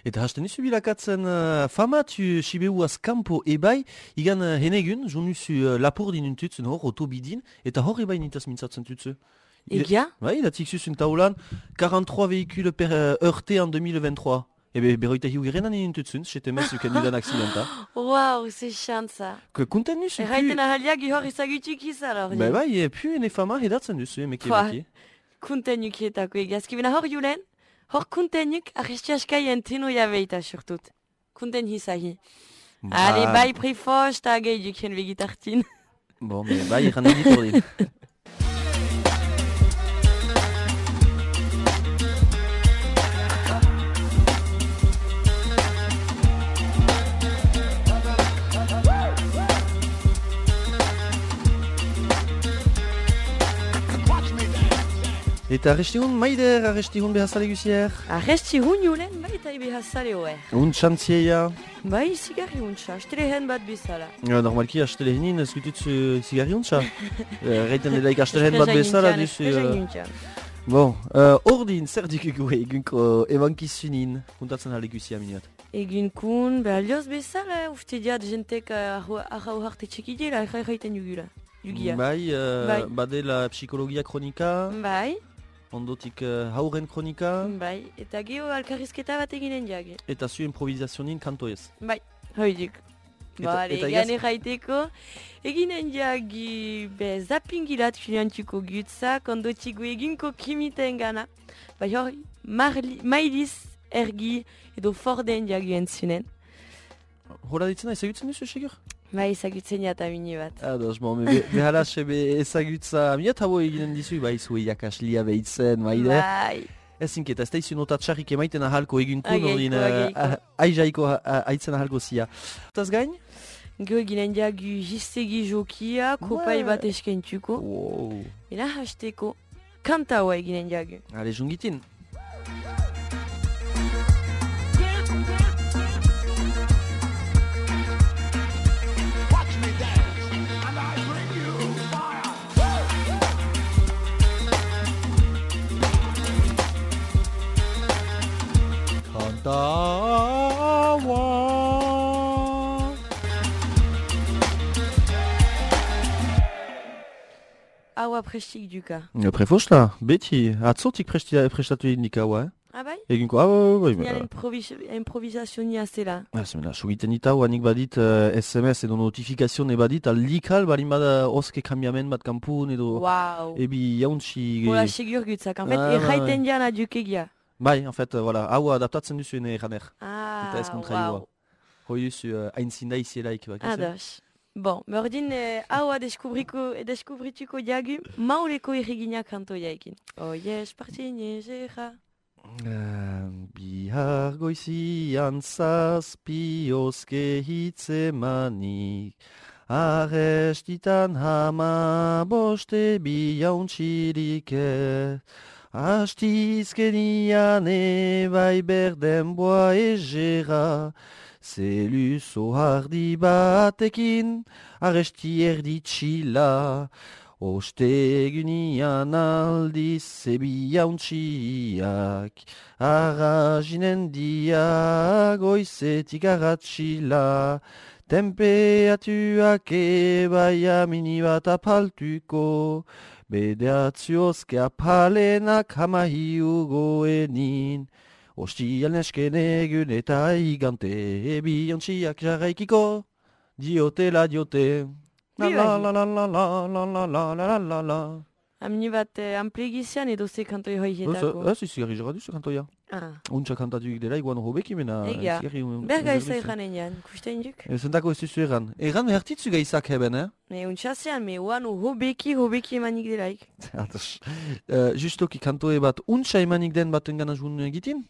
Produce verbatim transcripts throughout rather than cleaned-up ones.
Eta hasten izu bilakatzen uh, famatu Siberuaz kampo ebai, igan uh, henegun, jonuzu uh, lapur dinuntutzen hor, otobidin, eta hor ebai nintaz mintzatzen tutzu. Egia? Bai, da tiksus un taulan, quarante-trois véhicules per uh, heurté en deux mille vingt-trois. Ebe, beroita hiu gerenan nintutzen, chete mes uken dudan accidenta. Waouh, c'est chiant ça. Que konten nuzu pu... Erraiten ahaliak ihor izagutuk izan hor. Ba bai, e, pu ene fama hedatzen duzu, emeke Pua. baki. Kuntenukietako egazki. Bina hor julen, hor kuntenuk arrestiaskai enteno jabeita surtut. Kunten hizahi. Allez, bai prefos, ta gai duken vegitartin. Bon, me bai, eran editor din. Eta arrestihun, maider arrestihun behazale guzier? Arresti hun julen, bai eta ibe hasale oer. Un txantzieia? Bai, zigarri untsa, astelehen bat bezala. Ja, normalki astelehenin ez gututzu zigarri untsa. Reiten delaik astelehen bat bezala duzu... Bon, ordin, zer dikugu egunko ebankizunin, kuntatzen hale guzia minuat. Egun kun, behar lioz bezala, ufte diat jentek arra uharte txekidela, erra erraiten jugula. Jugia. Bai, uh, Bai. badela psikologia kronika, Bai, ondotik uh, hauren kronika, bai, eta geho alkarrizketa bat eginen jage. eta zu improvizazionin kanto ez. Bai, hoidik. Eta- Bale, eta egan igaz- erraiteko, eginen jagi be zapingilat filiantuko gutzak, ondotik eginko kimiten gana. Bai hor, marli, mailiz ergi edo forden jagi entzunen. Hora ditzena ezagutzen duzu, segur? Bai, ezagutzen jata mini bat. Ados, bon, be, behala sebe ezagutza, miat habo eginen dizu, bai, zue jakaslia behitzen, maide. Bai, Ez zinketa, ez da izu nota txarrik emaiten ahalko egunkun, Ageiko, ordin, ageiko. uh, aizaiko uh, aitzen ahalko zia. Taz gain? geho eginen jagi jistegi jokia, kopai Ouais. bat eskentuko. Wow. Ena hasteko, kanta hoa eginen jagi. Ale, jungitin. Kantawa. Haua prestik duka. Prefosla, beti, atzotik prestatu indikaua, eh? Ah bai? Eginko, ah, bai, bai, Nian bai. improvis improvisazionia zela. Ah, zemena, sugiten itau, anik badit uh, S M S edo notifikazioen badit, aldikal, balin bada oske kambiamen bat kampun edo... Wow. Ebi jauntsi... Hola, segur gutzak. En fait, Ah, erraiten diana dukegia. Bai, en fait, uh, voilà, hau adaptatzen duzu ene eraner. Ah, Eta ez kontraioa. wow. Hoi duzu uh, hainzinda izielaik, bak. Ados. Bon, berdin, eh, haua deskubriko, deskubrituko diagu, mauleko erregina kantoiaekin. Oies, partine, zera. Uh, bihar goizian zazpi oske hitzemanik, arrestitan hama boste bi jauntxirik ez. Astizkenian ebai berden boa egera, zeluzo hardi batekin arresti erditxila. Ostegunian aldiz zebi jauntxiak, arrazinen dia goizetik arratxila. Temperatuak ebai amini bat apaltuko, bedeatziozke apalenak hamahiu goenin. Ostial nesken egun eta igante, bi jauntxiak jarraikiko, diotela diote. La la la la la la la la la la la la. Amni bat eh, amplegizian edo ze kantoi hoietako. Ez izigarri jara duzu kantoia. Ah, Untsa kantatuik dela, iguan hobeki mena. egia. izigarri, um, Berga ulerduzu. eza eranen jan, kusten juk. Zentako ez duzu egan. Egan behartitzu gaizak heben, eh? Me untxasean, me uanu hobeki, hobeki emanik delaik. Ados. Uh, justoki kantoe bat untsa emanik den baten gana jun egitin?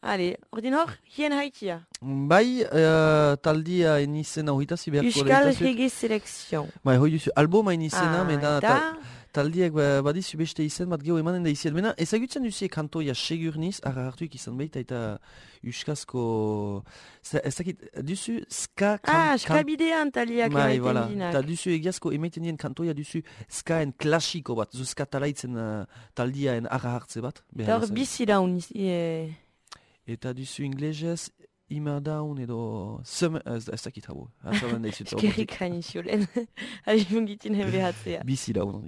Ale, ordin hor, hien haitia. Bai, uh, taldia enizena hoitazi beharko Euskal lehitazuk. Rege Selekzion. Bai, hoi duzu, alboma enizena, Ah, mena eta? ta- taldiak ba- badizu beste izen bat geho emanen da izen. Mena, ezagutzen duzu kantoia segurniz, arra hartuik izan baita eta euskazko... Za- Ez dakit, duzu ska... kan- Ah, skabidean taliak Bai, emaiten voilà. dinak. Ta duzu egiazko emaiten dien kantoia duzu skaen klasiko bat, zu ska talaitzen uh, taldiaen arra hartze bat. Eta hor bizi daun, e, Eta duzu inglesez, Immer Down edo... Summer... Ez, ez dakit hau. Atzaman da izut. Eskerrik hain izulen. Ari mungitin hen behatzea. Bizi Down.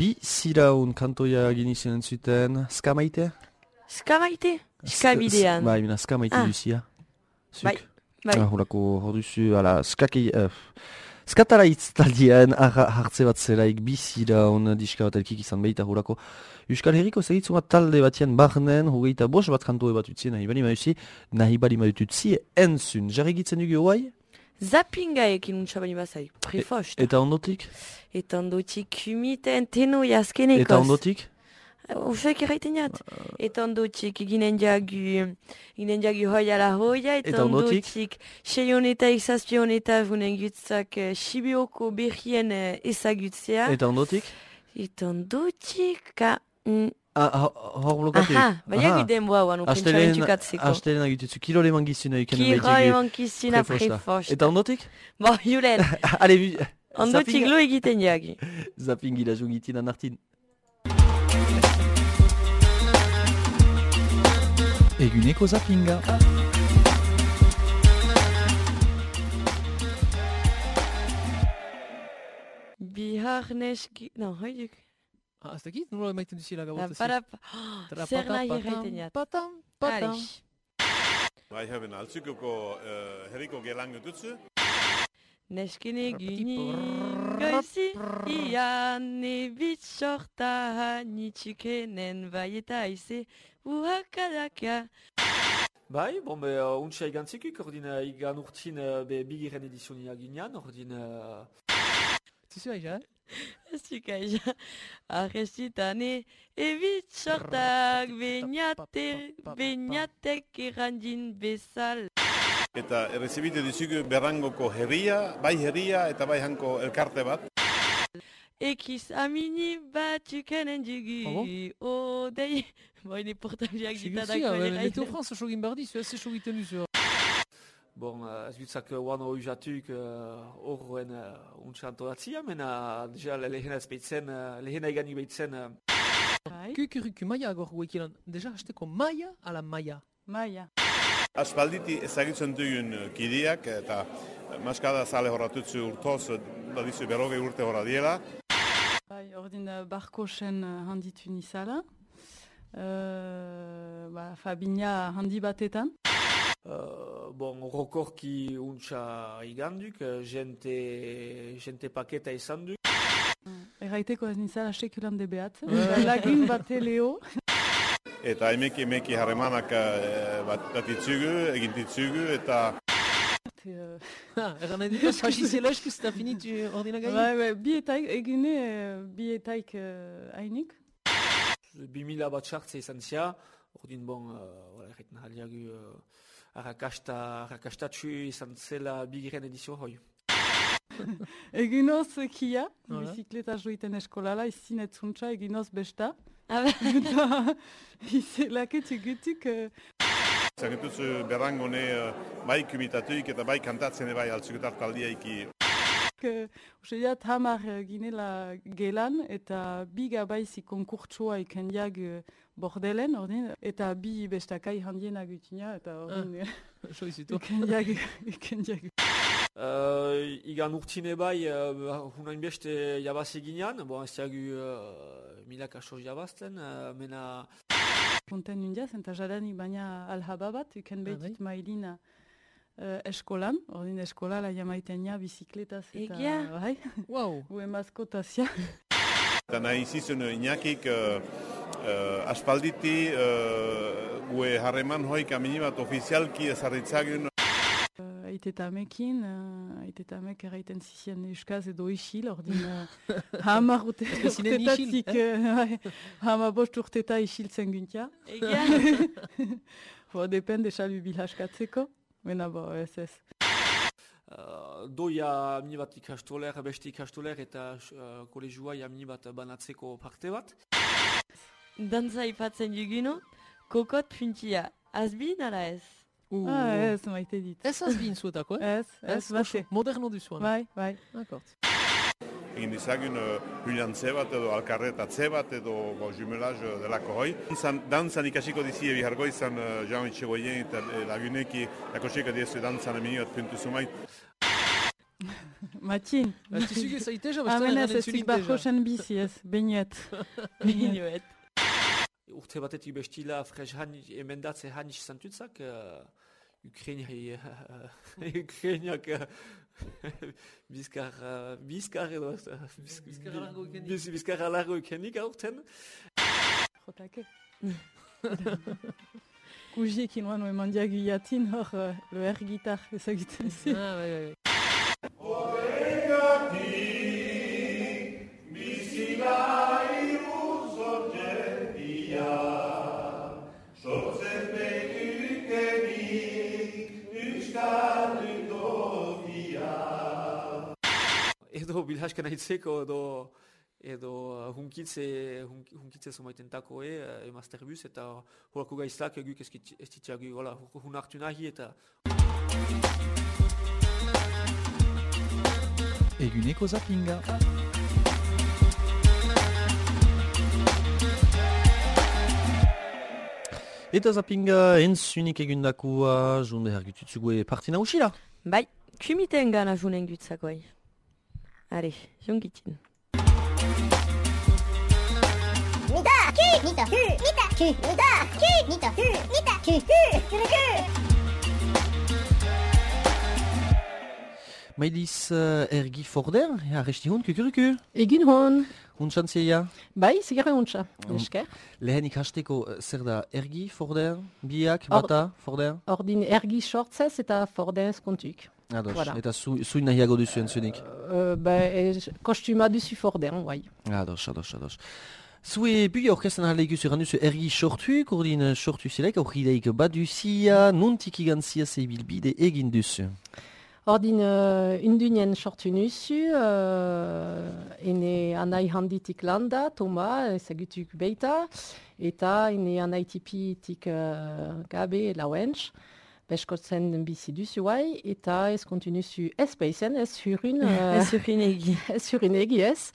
Bi ziraun kantoia egin izan zuten, ska maite? Ska maite? Ska bidean. Bai, mina ska maite Ah. duzia. Zuk? Bai, bai. Ah, horako, hor duzu, ala, skaki... Uh, skatara itztaldien hartze bat zelaik bi ziraun diska bat elkik izan behita horako. Euskal Herriko zegitzu bat talde batien barnen, hogeita bos bat kantoe bat utzi, nahi bali mauzi, nahi bali maututzi, entzun. Jarri gitzen dugu hoai? Zappinga ekin untxabani bazai, prefost. Eta ondotik? Eta ondotik kumiten teno jaskenekoz. Eta ondotik? Ufek erraiten jat. Eta ondotik ginen jagu, ginen jagu hoia la hoia. Eta ondotik? ondotik seion eta izazpion eta vunen gutzak Sibioko berrien ezagutzea. Eta ondotik? Eta ondotik ka... Mm. Ah, hor blokatu. Aha, baina guden boa guan upentsaren txukatzeko. Astelen agitutzu, kilo leman gizuna ikanen behitegu. Kiro leman gizuna prefosta. Eta ondotik? Bo, julen. Ale, bu... Ondotik lo egiten jagi. Zapingi la jungitin anartin. Eguneko zappinga. Bihar neski... Non, hoiduk. Ah, ez dakit? Nola emaiten duzila gabot? Parap... Zer nahi erraiten jat. Patam, patam. Alix. Wij hebben altsukoko uh, herriko gelang dutze. Neskene gini goizi ian nebit sorta nitsukenen baieta ize uhakadaka. Bai, bon, be, uh, untsa igantzikik, ordin uh, igan urtin uh, be bigiren edizioni aginan, ordin... Uh... Zizu aija? Ez dukaia. Arrestitane, ebit sortak, beñate, beñatek errandin bezal. Eta errezibite dizugu berrangoko herria, bai herria eta bai hanko elkarte bat. Ekiz amini bat tukenen dugu. O, dei, boine portabliak ditadak Sigusia, bere mais gaiten. en France, je regarde bardi, c'est assez chaud tenu sur. Bon, uh, ez dutzak wano ujatuk horren uh, untsa antolatzia, mena deja lehena ez behitzen, uh, lehena eganik behitzen. Uh, Kukuruku maia gor guekilan. Deja hasteko maia ala maia. Maia. Aspalditi ezagutzen dugun kideak eta maskada zale horratutzu urtoz, badizu berrogei urte horra diela. Bai, ordin uh, barkosen uh, handitu nizala. Uh, ba, Fabina handi batetan. uh, bon, rokorki untsa iganduk, uh, jente, jente paketa izan duk. Erraiteko ez nizala sekulan de behat. Lagun bate leo. Eta emeki emeki harremanak eh, bat, bat itzugu, egin ditzugu eta Uh, Ah, eran nahi dut, fasizela eskuz eta finitu ordina gai. bai, bai, bi etaik, egine uh, bi etaik uh, hainik. Bi mila bat sartze izan zia, ordin bon, uh, erreiten haliagu uh, arrakasta, arrakastatxu izan zela bigiren edizio hoi. Eginoz kia, Voilà. bizikleta joiten eskolala, izin etzuntza, eginoz besta. Ah, ba, Eta izelaketu gutuk... Uh, zagitutzu berrangone eh, bai kubitatuik eta bai kantatzen bai altzuketar taldiaiki. Uste diat hamar uh, ginela gelan eta bi gabaizi konkurtsua ikendiak uh, bordelen, ordin, eta bi bestakai handienak utina, eta ordin Jo izutu. ikendiak, ikendiak. Uh, igan urtine bai, uh, hunain beste jabazi ginean, bon, ez diagu uh, milak aso jabazten, uh, mena... Konten undiaz, eta jadanik baina alhaba bat, uken bai. behitit mailina uh, eskolan, ordin eskolala jamaiten ja bizikletaz eta... Egia? Bai, Wow. ue maskotazia. Eta nahi izizun inakik uh, uh, aspalditi uh, gue harreman hoik amini bat ofizialki ezarritzagun. Aitetamekin, uh, aitetamek erraiten zizien euskaz edo isil, ordin uh, hamar urte, zinen isil, urtetatik, uh, hamar bost urteta isiltzen guntia. egia. Bo, depende salbi bilhaskatzeko, mena bo, ez ez. Uh, doia mini bat ikastoler, beste ikastoler eta uh, kolegioa mini bat banatzeko parte bat. Dantza ipatzen duguno, kokot puntia. Azbin ala ez? Uh, Ah, ez, maite dit. Ez azbin zuetako, eh? Ez, ez, bate. Moderno duzuan. Bai, bai. D'accord. Egin dizagun uh, huliantze bat edo alkarretatze bat edo bo, jumelaz uh, delako hoi. Dantzan, dantzan ikasiko dizi ebihargo izan uh, Jean Itxegoien eta uh, laguneki lakoseka diezu dantzan amini bat puntu zumait. Matxin. Tizugu zaiteja, Amen ez ez zik barkosen bizi ez, beinuet. Minuet. Urte batetik bestila frez emendatze hanis zantutzak, uh, Ukrainiai, uh, Ukrainiak uh, bizkar, uh, bizkar edo, uh, biz- Bizkar alargo ikenik. biz- bizkar alargo ikenik aurten. Jotake. Kujiekin oan oeman diagu jatin hor uh, lo air gitar ezagiten zi. Ah, bai, bai, bai. Edo bilhaskan aitzeko edo edo uh, hunkitze, hunk, hunkitze somaiten tako e, uh, emasterbus eta horako gaiztak guk ez ditzagu, hola, hun hartu nahi eta Eguneko zappinga. Eta zappinga entzunik egundakua, junde hergututzugue partina usila. Bai, kumiten gana junen gutzakoi. Are, jongitin. Nita, ku, nita, ku, nita, ku, nita, ku, nita, ku, nita, ku, ku, ku, ku. Maidiz uh, ergi forder, arresti hun kukuruku. Egin hon, Hun txantzeia. bai, zigarra untsa, Mm. esker. Lehen ikasteko uh, zer da ergi forder, biak, Or- bata, forder. Ordin ergi sortzez eta fordez kontuk. Ados, Voilà. eta zu, zuin nahiago duzu entzunik. Euh, ben, kostuma duzu forden, bai. Ados, ados, ados. Zue bui aurkezten ahal ikusi erran duzu ergi sortuik, urdin sortu zilek, aurrideik baduzia, nuntik igantzia zeibilbide egin duzu. Ordin uh, undunien sortu nuzu, uh, ene anai handitik landa, Toma, ezagutuk beita, eta ene anai tipitik uh, gabe lauentz. Beskotzen bizi duzu guai, eta ez kontinuzu ez peizen, ez hurun... Uh, Ez urrin egi. ez hurun egi ez.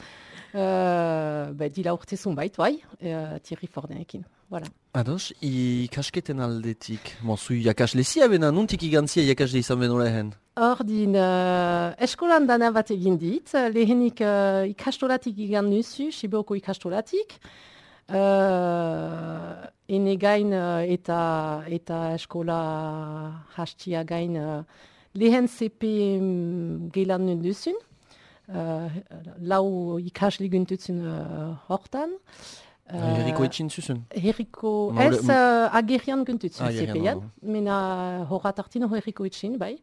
Uh, be, dila urtezun bait, bai, uh, Thierry Fordenekin. Voilà. Ados, ikasketen aldetik, mo zu jakaslezia bena, nuntik igantzia jakasle izan beno lehen? Ordin, uh, eskolan dana bat egin dit, lehenik uh, ikastolatik igan nuzu, Sibeoko ikastolatik, uh, ene gain uh, eta, eta eskola hastia gain uh, lehen C P um, gelan nun duzun, uh, lau ikasle guntutzen uh, hortan. Uh, Herriko etxin zuzun? Herriko, Maule- ez uh, agerian guntutzen Agerian, C P-an, oh. mena horat artin herriko etxin, bai.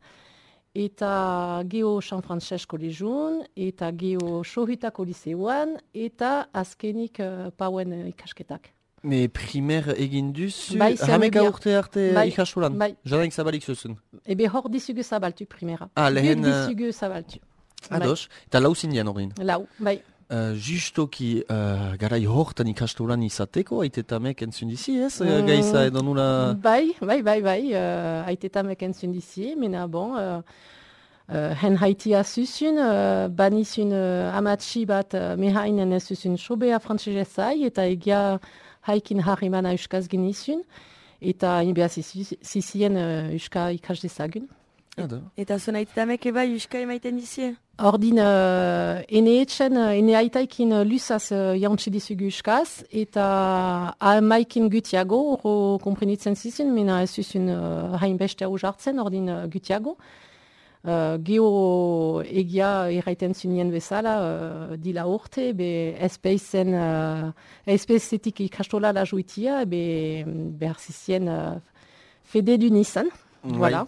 Eta geho San Francesco lejun, eta geho Sohutako liseuan, eta azkenik uh, pauen uh, ikasketak. Me primer egin duzu, Bai, hameka zermebia. urte arte Bai, ikastolan? bai. Jadanik zabalik zuzun? Ebe hor dizugu zabaltu primera. Ah, lehen, Guk uh, dizugu zabaltu. Ados, eta lau zindian horrein. Bai, lau, bai. Uh, justoki uh, garai hortan ikastolan izateko, aitetamek entzun dizi ez? Mm. Mm. Gaiza edo nula... Bai, bai, bai, bai, uh, aitetamek entzun dizi, mena bon, uh, uh, hen haitia zuzun, uh, banizun uh, amatxi bat uh, mehainen ez zuzun sobea frantzesezai, eta egia haikin harrimana euskaz genizun, eta inbea zizien uh, euska ikas dezagun. Ado. Eta zuen aitetamek eba euska emaiten dizie? Ordin, uh, ene etxen, uh, ene aitaikin uh, lusaz uh, jauntsi dizugu euskaz, eta amaikin gutiago, oro komprenitzen zizun, mena ez zuzun uh, hainbeste hau jartzen, ordin uh, gutiago. Uh, Geo egia erraiten zunien bezala, uh, dila urte, be espeizen, uh, espeizetik ikastola la juitia, be behar zizien uh, fede du nizan. Voilà.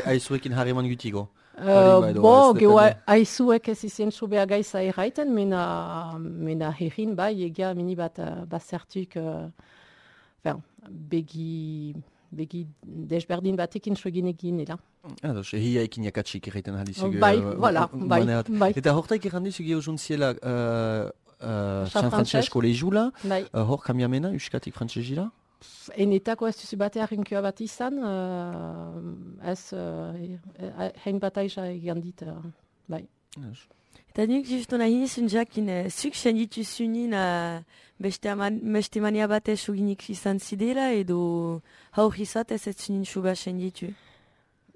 Aizuekin harreman gutigo. Uh, Hori bai, bo, ez geho depende. aizuek ez izien sobea gaiza erraiten, mena, mena herrin bai, egia mini bat uh, bazertuk, uh, enfin, begi, begi desberdin batekin sogin egin, ela. Ados, ehiaikin jakatsik erraiten ahalizugu. Bai, voilà, bai, bai. Eta hortaik errandizu geho juntziela uh, uh, San San Francesco lejula, Bai. uh, hor kamiamena, euskatik frantzesira? Enetako ez duzu bate harrinkua bat izan, uh, ez uh, hein bat aiza egan dit, uh, bai. Ados. Eta nik justo nahi nizun jakin, eh, zuk senditu zunin uh, beste, aman, beste mania batez uginik izan zidela, edo haur izat ez ez zunin suba senditu.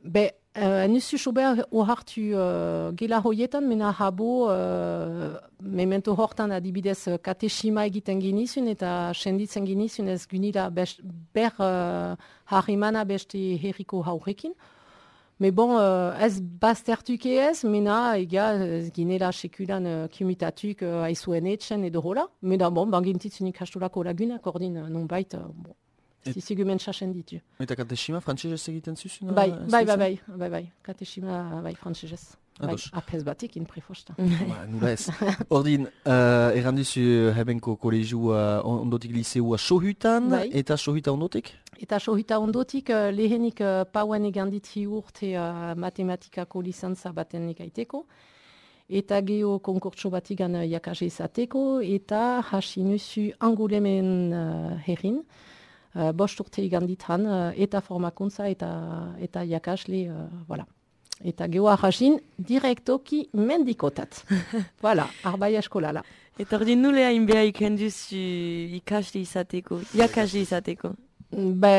Be, uh, nuzu sober ohartu uh, gela hoietan, mena habo, uh, memento hortan adibidez uh, kateshima egiten ginizun, eta senditzen ginizun ez gunila best, ber uh, harrimana beste herriko haurekin. Me bon, uh, ez baztertuke ez, mena ega ez ginela sekulan uh, kumitatuk uh, aizuen etxen edo hola. Mena bon, bangintitzun ikastolako lagunak, ordin uh, nonbait, uh, bon, Et- zizigu mentsasen ditu. Eta kateshima frantzesez egiten zuzun? Bai, uh, bai, ez bai, duzu? bai, bai, bai, kateshima, bai, frantzesez. Bai, Ados. apez batik in prefosta. Ba, nula ez. Ordin, uh, errandizu hebenko kolegiu uh, ondotik liseua Sohutan, Bai. eta Sohuta ondotik? Eta sohita ondotik, uh, lehenik uh, pauen egandit hi urte uh, matematikako lizantza baten ikaiteko, eta geho konkurtso batigan uh, jakase izateko, eta hasi nuzu angulemen uh, herrin, uh, bost urte egandit han, uh, eta formakuntza eta, eta jakasle, uh, voilà. Eta geho ahasin direktoki mendikotat. Voilà, arbai eskolala. Eta ordin nule hain beha iken duzu ikasle izateko, jakasle izateko. Be,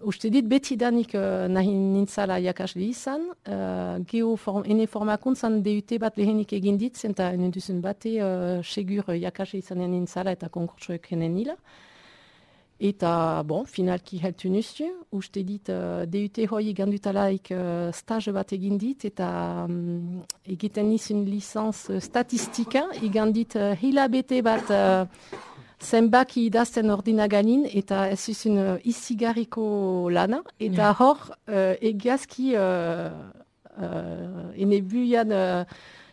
uste dit betidanik uh, nahi nintzala jakasle izan, uh, geho form, ene formakuntzan D U T bat lehenik egin dit, eta ene duzen bate uh, segur jakasle izanen nintzala eta konkurtsoek enen nila. Eta, bon, finalki heltu nuzu, uste dit uh, D U T hoi gandutalaik uh, stage bat egin dit, eta um, egiten nizun licenz uh, statistika, egandit uh, hilabete bat uh, zenbaki idazten ordinaganin, eta ez zuzun uh, izigarriko lana, eta hor uh, egiazki uh, uh, ene buian uh,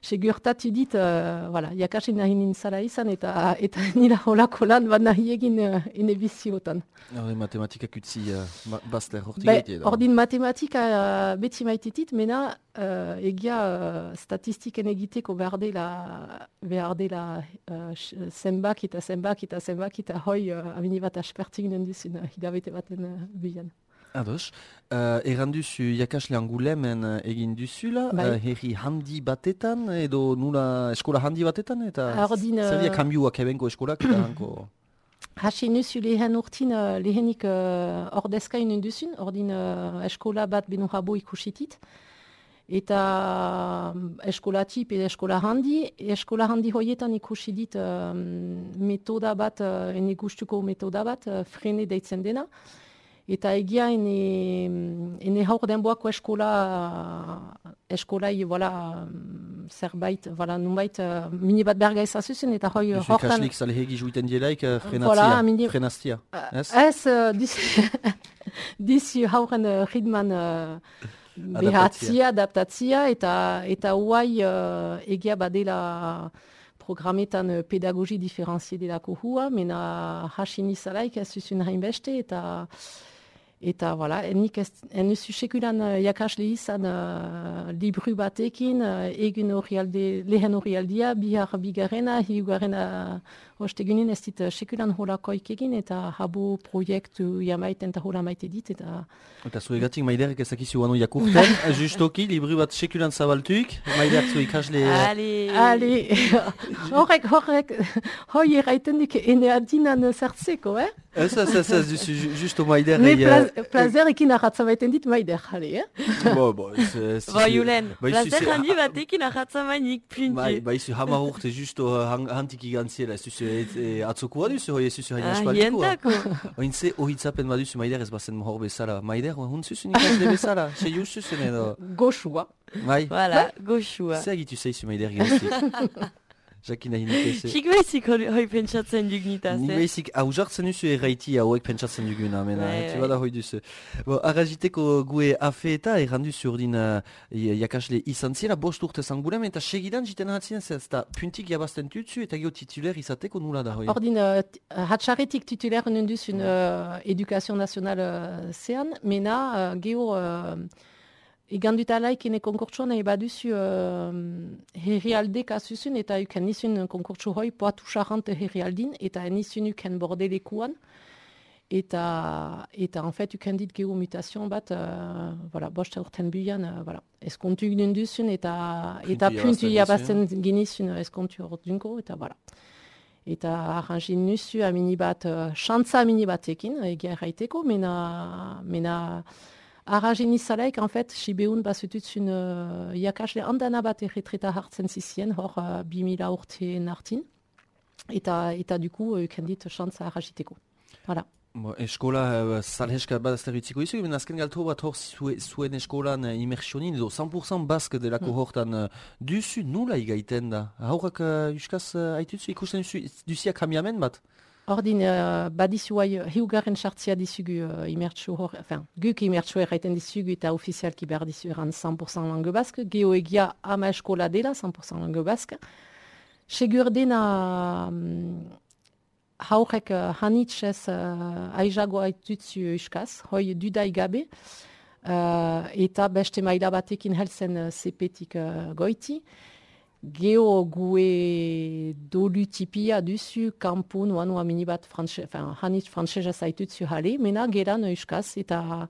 segurtatu dit, uh, voilà, jakasi nahi nintzala izan, eta, eta nila holako lan bat nahi egin uh, ene biziotan. Hori matematikak utzi uh, bazter, hortik Be, gaitea da. ordin matematika uh, beti maititit, mena uh, egia uh, statistiken egiteko behar dela, behar dela uh, zenbak eta zenbak eta zenbak eta hoi uh, amini bat aspertik nenduzun uh, hilabete baten uh, bian. Ados, uh, erran duzu jakasle Angulemen uh, egin duzula, Bai. uh, herri handi batetan, edo nula eskola handi batetan, eta Ordin, zer dira uh, kambiuak ebenko eskolak eta hanko... Hasi nuzu lehen urtin, uh, lehenik uh, ordezka inen duzun, ordin uh, eskola bat beno jabo ikusitit. Eta um, eskola tip eta eskola handi, eskola handi hoietan ikusi dit um, metoda bat, uh, ene gustuko metoda bat, uh, frene deitzen dena. Eta egia ene, ene haur denboako eskola, eskolai, voilà, zerbait, voilà, nunbait, uh, mini bat berga ezazuzen, eta hoi Duzu hortan... ikaslik zalehegi juiten dielaik uh, frenatzia, Voilà, mini- frenaztia, ez? Ez, uh, dizu, dizu hauren uh, ritman uh, behatzia, adaptatzia, eta, eta huai uh, egia badela programetan uh, pedagogi diferenzie delako hua, mena hasi nizalaik ez zuzun hainbeste, eta eta, voilà, nik ez enuzu sekulan uh, jakasle izan uh, libru batekin, uh, egin orrialde, lehen orrialdia, bihar bigarrena, hiugarrena ostegunin ez dit uh, sekulan holakoik egin, eta habo proiektu jamaiten eta hola maite dit, eta... Eta zuegatik maiderek ezakizu anu jakurten, justoki, libru bat sekulan zabaltuik, maideak zu ikasle... Allez. Ali, horrek, horrek, hoi erraiten dik ene adinan zertzeko, eh? Ez, ez, ez, ez, duzu ju- justo maider... Ne plaz, plazerekin arratza baiten dit maider, jale, eh? Bo, bo, ez... ez- Ba, Julen, Ba, izu- plazer ze- handi batekin ahatzamainik Bai, punti. ba, izu hamar urte justo uh, han- hantik igantziela, ez duzu e, atzokoa duzu, hoi ez duzu hain Ah, aspaldikoa. hientako. Oin ze ohitzapen baduzu maider ez bazen hor bezala. Maider, hun zuzun ikasle bezala, se juz zuzen edo... Goxua. Bai, Voilà, goxua. ze egitu zeizu maider giztik. Jakin nahi nikese. Sik bezik hori hoi pentsatzen dugnitaz, Ni eh? behizik aujartzen duzu erraiti hauek pentsatzen duguna, mena, Bai, etxe bai. bada hoi duzu. Bo, arraziteko gue afe eta errandu urdin uh, jakasle izan zira, bost urte zangulem, eta segidan jiten hatzien ez da puntik jabazten tutzu eta gio tituler izateko nula da hoi. Ordin, uh, t- hatxarretik titulaire nenduzun uh, edukazio nazional uh, zean, mena uh, geho... Uh, Igandutalaik ene konkurtsuan nahi baduzu uh, herrialde kasuzun, eta uken nizun konkurtsu hoi poatu charante herrialdin, eta nizun uken bordelekuan. Eta, eta en fait, uken dit geho mutation bat, uh, voilà, bost urten buian, uh, voilà. Eskontu nenduzun, eta, eta Puntu puntu jabazten jabazten genizun eskontu ordunko, eta voilà. Eta arrangin nuzu amini bat, uh, xantza amini batekin, egia erraiteko, mena... mena Arragen izalaik, en fait, Sibeun bazutuzun uh, jakasle handana bat erretreta hartzen zizien, hor uh, bi mila urte nartin. Eta, eta duku, uh, kendit xantza arragiteko. Voilà. Bo, eskola uh, salheska bat azter utziko izu, ben azken galto bat hor zue, zuen eskolan uh, immersionin, edo cent pour cent bask delako Mm. hortan uh, duzu nula igaiten da. Haurak uh, euskaz uh, aitutzu ikusten duzu, duzia kamiamen bat? Ordin, uh, badizu hai, hiugarren sartzia dizugu uh, imertsu hor, enfin, guk imertsu erraiten dizugu eta ofizialki behar dizu erran cent pour cent langue bask, geho egia ama eskola dela cent pour cent langue bask. Segur dena um, haurek uh, hanitzez uh, aizago aitutzu euskaz, hoi dudai gabe, uh, eta beste maila batekin helzen uh, sepetik uh, goiti. Geho gue dolu tipia duzu kanpo noa noa mini bat frantxe, enfin, hanitz frantsesa zaitutzu jale, mena geran euskaz, eta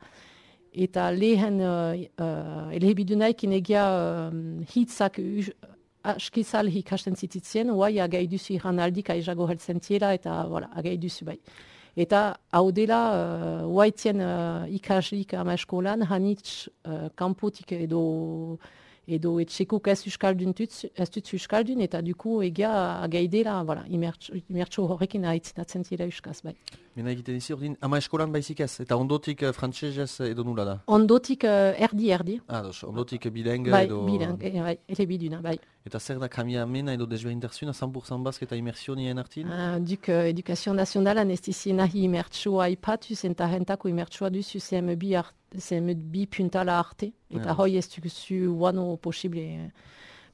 eta lehen uh, uh, elhebidunaik inegia um, hitzak askizal hikasten zititzien, oai agai duzu iran aldik aizago heltzen tiela, eta voilà, agai duzu bai. Eta hau dela, uh, oaitien uh, ikaslik ama eskolan, hanitz uh, kanpotik edo edo etxekok ez euskaldun tutz, ez tutz euskaldun, eta duku egia agaidela, voilà, imertxo horrekin haitzinatzen zira euskaz, bai. Mena egiten izi ordin, ama eskolan baizik ez, eta ondotik uh, frantsesez edo nula da? Ondotik uh, erdi-erdi, Ah, dos, ondotik bileng bai, edo... bilang, eh, bai, elebiduna, bai. Eta zer da kamiamena edo desberdintasuna cent pour cent bazk eta immersionien artin? Uh, duk uh, Edukazio Nazionala ez dizi nahi imertsua aipatuz, eta rentako imertsua duzu C M B, art, C M B puntala arte. Eta Ja. hoi ez duzu uano posible.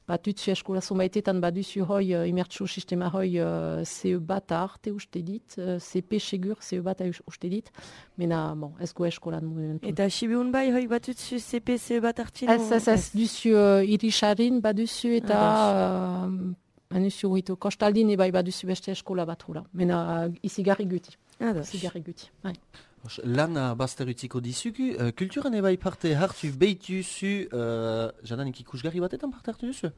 Batutzu eskola zonbaitetan baduzu hoi uh, imertsu sistema hoi uh, C E bat arte uste dit, uh, C P segur C E bat uste dit, mena bon, ez go eskolan momentu. Eta sibiun bai, hoi batutzu C P C bat hartin? Ez, ez, ez, duzu uh, irisarin baduzu eta uh, anuzu horretu kostaldin ebai baduzu beste eskola bat hula. Mena uh, izigarri guti. Ados. Izigarri guti. Bai. Os, Lana bazter utziko dizugu, uh, kulturan ebai parte hartu behituzu, uh, jadanik ikusgarri batetan parte hartu duzu?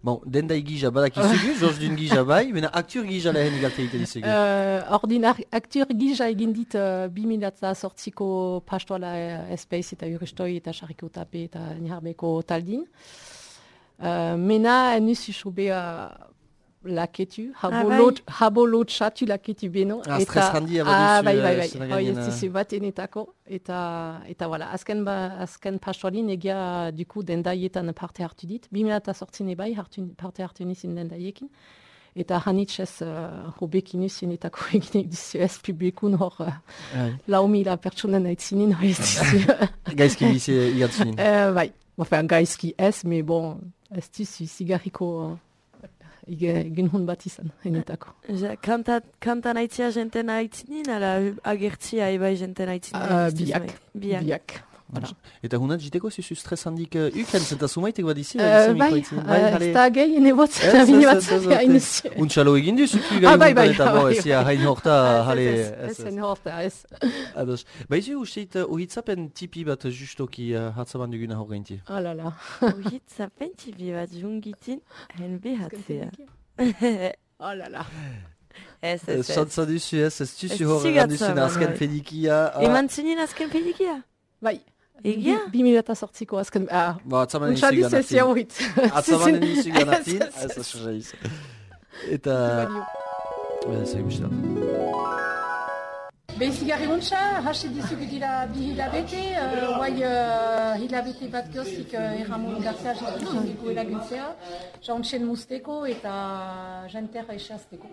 Bon, denda egija badakizugu, Georges dun gija bai, mena aktur gija lehen egalte egite dizugu. Uh, ordinar, aktur gija egin dit uh, bi mila sortziko pastoala uh, espeiz eta uristoi eta sarriko tape eta niharbeko taldin. Uh, mena enuzu sobe uh, laketu, habo bai. lot, habo lot chatu laketu beno. Ah, stres handia baduzu, Ah, bai, bai, eh, bai. zera Hoi gainen, ez dizu bat enetako. Eta, eta voilà, azken, ba, azken pastoalin egia duku dendaietan parte hartu dit. Bi mila sortzine bai hartu, parte hartu nizin dendaiekin. Eta hanitxez uh, hobekin usienetako egin duzu ez publikun hor uh, Bai. lau mila pertsonen aitzinin hori ez dizu. Gaizki bizi igatzunin. uh, bai, enfin, gaizki ez, me bon, ez dizu zigarriko uh, egin hon bat izan, enetako. Ja, kanta, kanta naitzia jenten aitzinin, ala agertzia ebai jenten aitzinin? Uh, biak, Biak. biak. Voilà. Eta hunat jiteko zuzu stres handik uh, uken, zenta sumaitek badizi? Uh, bai, uh, ez da gehi, ene bot, Ez, bine ez, bat ez, ez, zate ez. hainuzio. Untxalo egin duzu Ah, gain bai, bai, eta bo, bai, ez ja hain horta, jale... Ez, ez, ez, horta, ez. Ados. Baizu usteit uh, uhitzapen tipi bat justoki uh, hatzaban duguna hor gainti. Oh la la. Uhitzapen tipi bat jungitin, hen behatzea. Oh la la. Ez, ez, ez. Chantza duzu ez, ez Ez duzu hor zigatza, eranduzun man, azken bai. pedikia. ah. Eman zinin azken pedikia? Bai. Egia? Bi mila eta sortziko azken... Ah, Ba, atzaman untsa nizu dizu ez ganatin. jaurit. Atzaman nizu ganatin, Ez, ez, ez ez. asozaiz. Eta... Ez egin Behizigarri untsa, hasi dizugu dira bi hilabete, uh, guai uh, hilabete bat goztik uh, Erramon Garzea jitiko elaguntzea, jantxen musteko eta janterra esazteko.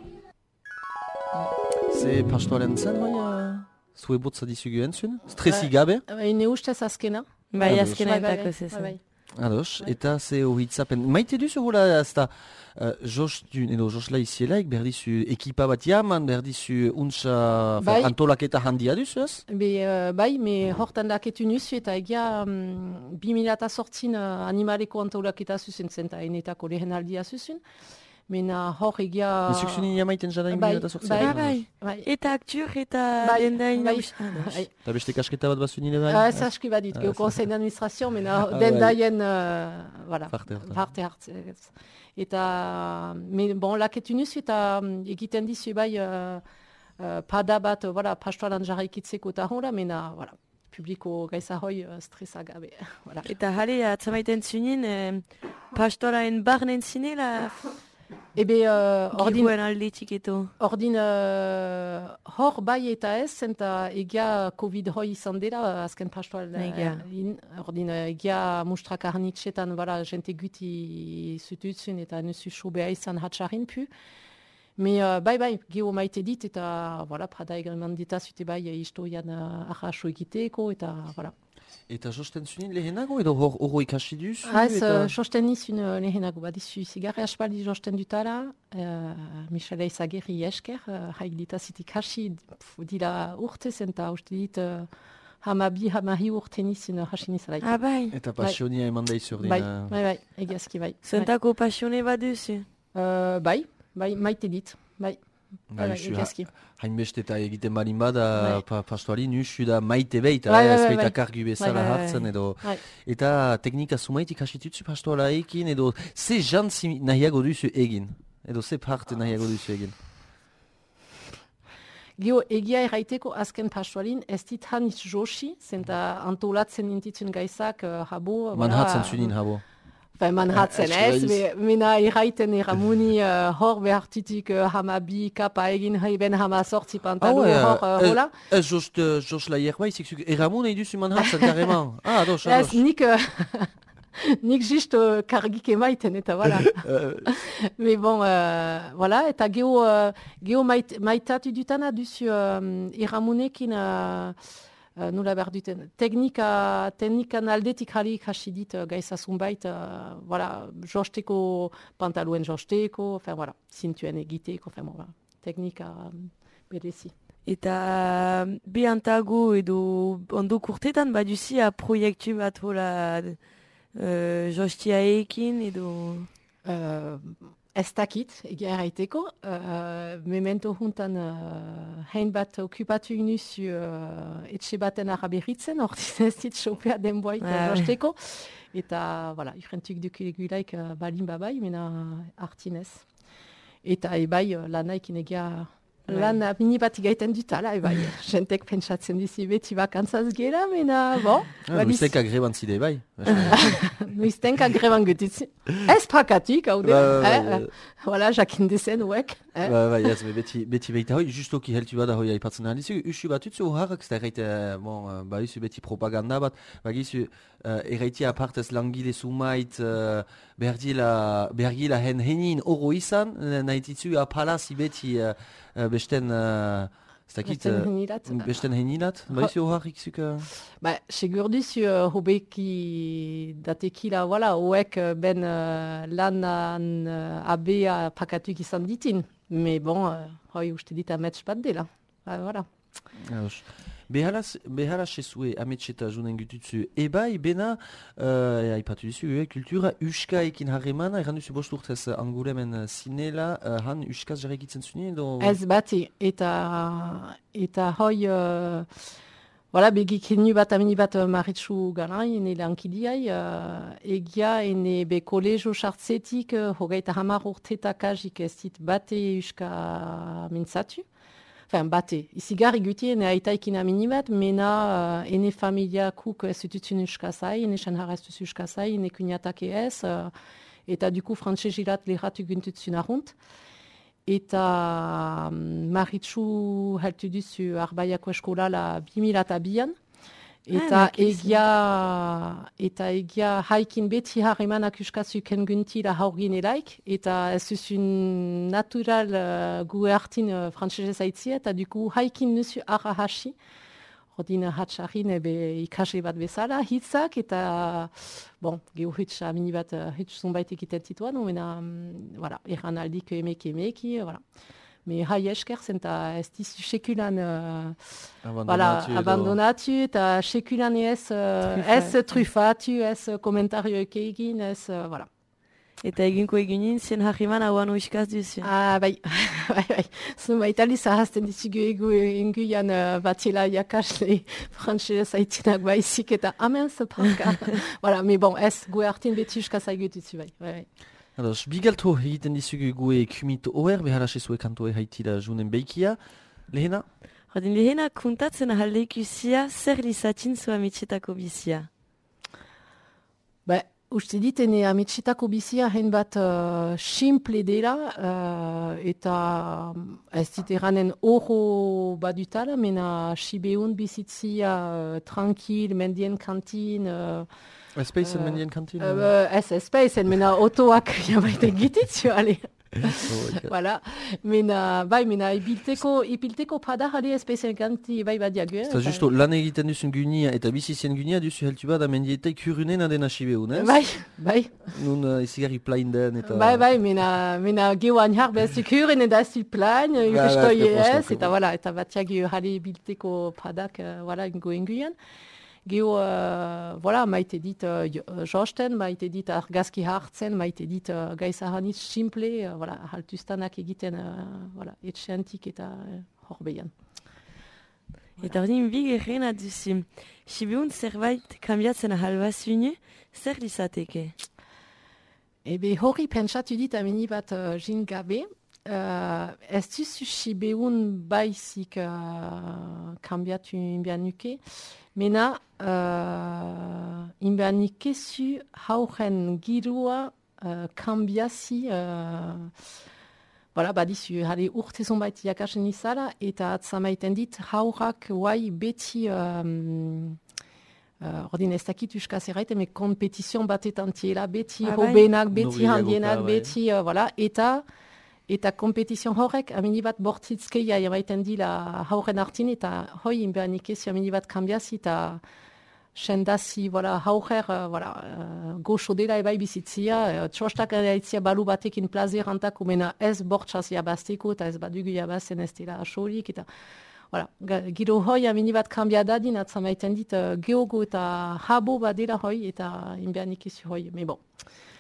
Ze pastoaren zen, hoi, uh, zue botza dizugu entzun? Stresi gabe? Ene ustez azkena. Bai, Ados. azkena Bai, bai, entako bai, zezen. bai. Ados, eta ze uhitzapen. Maite duzu hola ez da, uh, Jos dun, edo Jos laizielaik, behar dizu ekipa bat jaman, behar dizu untsa Bai. antolaketa handia duzu ez? Be, uh, bai, me hortan daketu nuzu eta egia um, bi mila eta sortzin uh, animaleko antolaketa zuzen zen eta enetako lehen aldia zuzen. Mena hor egia... Bizukzunin jamaiten jadain Bai, bila eta sortzea. bai, Ah, bai. bai. Eta aktur eta Bai, dendain... bai. Ados. Bai. Eta beste kasketa bat bazu nire bai? Ah, ez aski badit, Ah, gero ez- conseil d'administration, mena Ah, den bai. daien, uh, voilà, Parte hartan. parte hartzea. Eta, me, bon, laketu nuzu eta um, egiten dizu bai uh, uh, pada bat, uh, voilà, pastoalan jarraikitzeko eta hola, mena, voilà, publiko gaiza hoi uh, stresa gabe. Voilà. Eta jale, atzamaiten zunin, eh, pastoraen barnen zinela, Ebe, uh, ordin, gihuen aldetik eto. ordin uh, hor bai eta ez, eta egia Covid hoi izan dela, uh, azken pastoal. uh, Egia. in, ordin, uh, egia mustrak arnitxetan, voilà, jente guti zututzen eta nuzu sobea izan hatxarin pu. Me uh, bai bai, geho maite dit, eta voilà, prada egreman dita zute bai uh, historian uh, arraso egiteko, eta voilà. Eta josten zunin lehenago edo hor hor ikasi duzu? Ah, ez, eta... uh, josten nizun uh, lehenago, badizu zigarri aspaldi josten dutala, uh, Michele Izagirri esker, uh, haik dita zitik hasi, pf, dila urtez, eta uste dit, uh, hamabi, hamahi urte nizun uh, hasi nizalaik. Ah, bai. Eta pasionia eman daizu ordin. Bai, uh, bai, bai, egiazki bai. Zentako pasione bat duzu. Uh, bai, bai, maite dit, bai, bai, bai, Naizu, egiazki. hainbeste eta egiten balin bada, Bai. pa, pastoari nusu da maite beita, Bai, bai, ez bai, baita bai. kargu bezala Bai, bai, bai. hartzen edo... Bai. Eta teknika sumaitik hasitutzu pastoala ekin edo ze jantzi nahiago duzu egin? Edo ze parte nahiago duzu egin? Geo, egia erraiteko azken pastoalin, ez dit hanitz josi, zenta antolatzen intitzen gaizak, uh, habo... Manhatzen zunin habo. Enfin, Manhattan, Eh, ez, ez me- mena erraiten erramuni uh, hor behartitik uh, hamabi kapa egin haiben hama sortzi pantalo hor uh, hola. Ez Jos Laier baizik zuk erramun nahi duzu Manhatzen kareman. Ah, ados, Ez, ados. nik, uh, nik just uh, kargik emaiten, eta voilà. Mais bon, uh, voilà, eta geho, uh, geho mait, maitatu dutana duzu um, iramunekin, uh, uh, nola behar duten, teknika, teknikan aldetik jali ikasi dit uh, gaizazun bait, uh, voilà, josteko, pantaluen josteko, enfin, voilà, zintuen egiteko, enfin, voilà, teknika um, berezi. Eta behantago edo ondo kurtetan baduzi a proiektu bat hola uh, jostiaekin edo... Uh, ez dakit, egia erraiteko. Uh, memento juntan uh, hein bat okupatu inuzu uh, etxe baten araberritzen, ordiz ez dit sopea denboait uh, josteko. Eta, voilà, urrentuk dukegulaik uh, balin babai, mena hartinez. Eta ebai uh, lanaikin egia... Lan mini bat igaiten dutala, ebai. Jentek pentsatzen dizi beti bakantzaz gela, mena, bo. Ah, Noiztenka greban zide, bai. Noiztenka greban gutitzi. Ez prakatik, hau de. Voilà, jakin dezen, uek. Bai, ez, beti behita hoi, justoki heltu bat hoi aipatzen ahalizu. Usu bat utzu harrak, eta erraite, bon, ba, usu beti propaganda bat, ba, gizu, erraite apartez langile sumait, bergila hen henin oro izan, nahititzu apalazi beti, besten... Besten henilat. Besten henilat, ba izu harrik zuk... Ba, segur duzu hobeki datekila, voilà, hoek ben lanan abea pakatuk izan ditin. Mais bon, hoi uste dit amets bat dela. Voilà. Behala sezue ametseta junen gututzu ebai, bena, uh, aipatu dizu, e, kultura uskaekin harremana, erran duzu bost urtez anguremen zinela, uh, han uskaz jarrekitzen zuni edo... Ez bati, eta, eta hoi, uh, voilà, begik henu bat amini bat maritxu ganain, ene lankidiai, uh, egia ene be kolegio sartzetik, uh, hogeita hamar urtetakajik ez dit bate uska mintzatu. Enfin, bate. Izigar iguti ene aitaikin amini bat, mena uh, ene familia kuk ez ututun uskazai, ene xanhar ez duzu uskazai, ene kuniatak ez, uh, eta duku frantsezilat lehratu guntutsun arunt. Eta um, maritxu heltu duzu arbaiako eskola la bimilata bian. Eta ah, egia, eta egia haikin beti harremanak uskazuken guntila haurgin elaik, eta ez duzun natural uh, gu hartin uh, frantzesez aitzia, eta duku haikin nuzu arra hasi, ordin hatxarrin ebe ikase bat bezala, hitzak, eta, bon, geho hitz amini bat hitz zonbait egiten tituan, mena, um, voilà, erran aldik emeki emeki, voilà. Me hai esker zenta ez dizu sekulan uh, abandonatu, voilà, abandonatu eta sekulan ez, uh, ez trufatu, ez komentarioek egin, ez, uh, voilà. Eta eginko eginin zien harriman hauan uskaz duzu. Ah, bai, bai, bai. Zumait aliz ahazten dizugu egu enguian uh, batila jakasle frantzez haitinak baizik eta amen zeparka. Voilà, me bon, ez gu hartin beti uskaz haigutuzu, bai, bai, bai. Ados, bigalto egiten dizugu gue kumito oer, behala sezue kantoe haitila junen beikia. Lehena? Rodin, lehena kuntatzen ahaldeikuzia zer lizatin zu amitxetako bizia? Ba, uste dit, ene amitxetako bizia hen bat uh, simple dela, uh, eta ez dit eranen oro badutala, mena sibeun bizitzia uh, tranquil, mendien kantin... Uh, Espeizen uh, mendien kantin? Uh, ez espeizen, mena otoak jabait egititzu, ale. Voilà. Mena, bai, mena ibilteko, ibilteko pada jale espeizen kanti bai badiagu. Eta justo, lan egiten duzun gunia eta bizizien gunia duzu heltu bada mendietei kurunen adena sibeun, ez? Bai, bai. Nun uh, izigarri plain den eta... Bai, bai, mena, mena geoan jar bezu kuren eta zu plain, urestoi ez, eta voilà, eta batiagu jale ibilteko padak, uh, voilà, ingo enguian. Geo, uh, voilà, maite dit uh, josten, maite dit argazki hartzen, maite dit uh, gaizahanitz simple, uh, voilà, haltuztanak egiten, uh, voilà, etxeantik eta uh, horbeian. Voilà. Eta ordin bi gerrena duzu. Sibeun zerbait kambiatzen ahalbazune, zer lizateke? Ebe hori pentsatu dit amini bat uh, jin gabe, uh, ez duzu Sibeun baizik uh, kambiatu inbianuke, mena, uh, inbianikezu hauren girua uh, kambiazi, uh, voilà, badizu, jale urte zonbait jakasen izala, eta atzamaiten dit haurak guai beti um, Uh, ordin ez dakit uskaz erraite, me kompetizion batetan tiela, beti Ah, bai. hobenak, beti Nobilagoka, handienak, bai. beti, uh, voilà, eta eta kompetizion horrek, amini bat bortitzkeia emaiten dila hauren artin, eta hoi inbeanik ez, amini bat kambiazi, eta sendazi, voilà, haurer, uh, voilà, uh, goxo dela ebai bizitzia, uh, txostak edaitzia balu batekin plazerantak, umena ez bortxaz jabazteko, eta ez badugu jabazten ez dela asolik, eta voilà, ga- giro hoi amini bat kambia dadin, atza maiten dit, uh, geogo eta habo bat dela hoi, eta inbeanik ez hoi, me bon.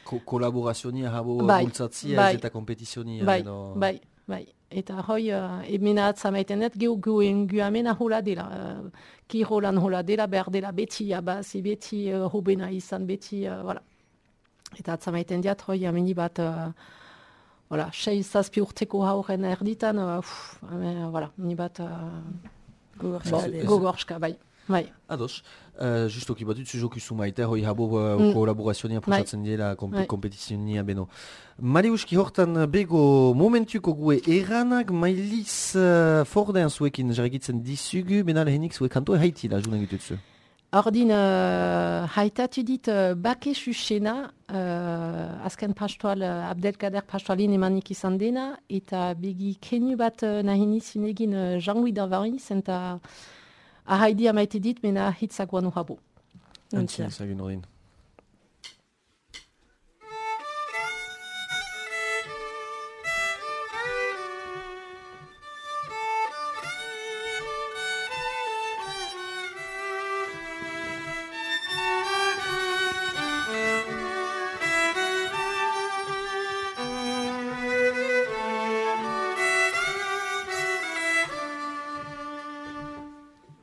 Ko kolaborazionia habo Bai, bultzatzia bai. ez eta kompetizionia. Bai, edo- bai, bai. Eta hoi, uh, emena atza maiten dut, geo goen guamena hola dela, uh, kirolan hola dela, behar dela beti jabazi, beti uh, hobena izan, beti, uh, voilà. Eta atza maiten diat, hoi, amini bat, uh, voilà, sei zazpi urteko hauren erditan, uh, uf, ame, voilà, amini bat, uh, Gogorska bon, dela. gogorska, bai, bai. Ados, uh, justoki batut zuzokizu maite, hoi habo uh, Mm. kolaborazionia Bai. pusatzen diela komp Bai. kompetizionia beno. Mariuski hortan bego momentuko gue eranak mailiz uh, fordean zuekin jarrikitzen dizugu, bena lehenik zuek kantoa haitila, junen gitutzu. Ordin, uh, haitatu dit uh, bake susena, uh, azken pastoal, uh, Abdelkader pastoalin emanik izan dena, eta begi kenu bat uh, nahini zinegin uh, Jean-Louis Davariz, eta ahaidi amaite dit, mena hitzak guanu habo. Antzien zagun ordin.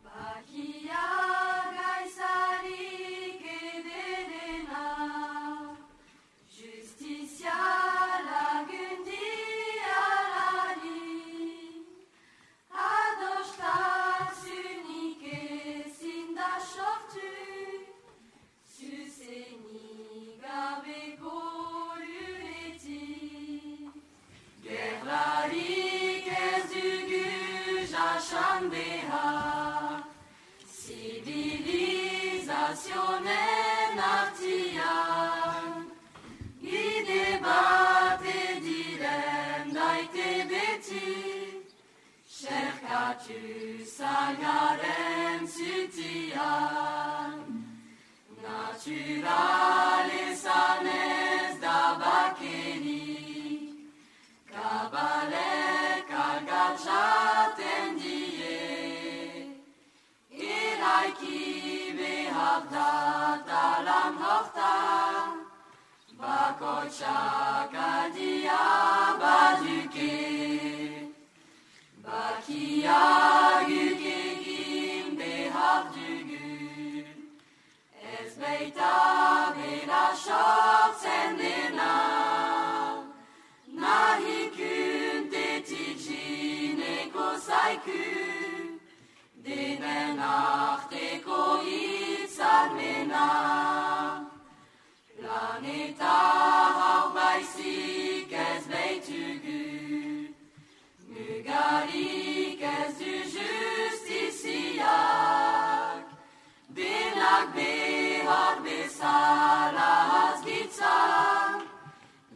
Bakia gaizarik ederena, justizia lagundialari, adostasunik ezin da sortu, zuzenik gabeko luretik. Gerlarik ez dugu jasan behar, zibilizazionen artian, bide bate diren daite beti, xerkatu zagaren zutian. Natural ezan ez da bakenik, kabalek agatxaten die, eraiki behar da talan hortan, bakotxak aldia baduke. Bakiak egin behar dugu, ez baita bera sortzen dena, nahi kuntetik jineko zaiku, denen arteko hitzarmena. Planeta hau baizik ez baitugu, mugarik ez du justiziak, denak behar bezala azgitzak,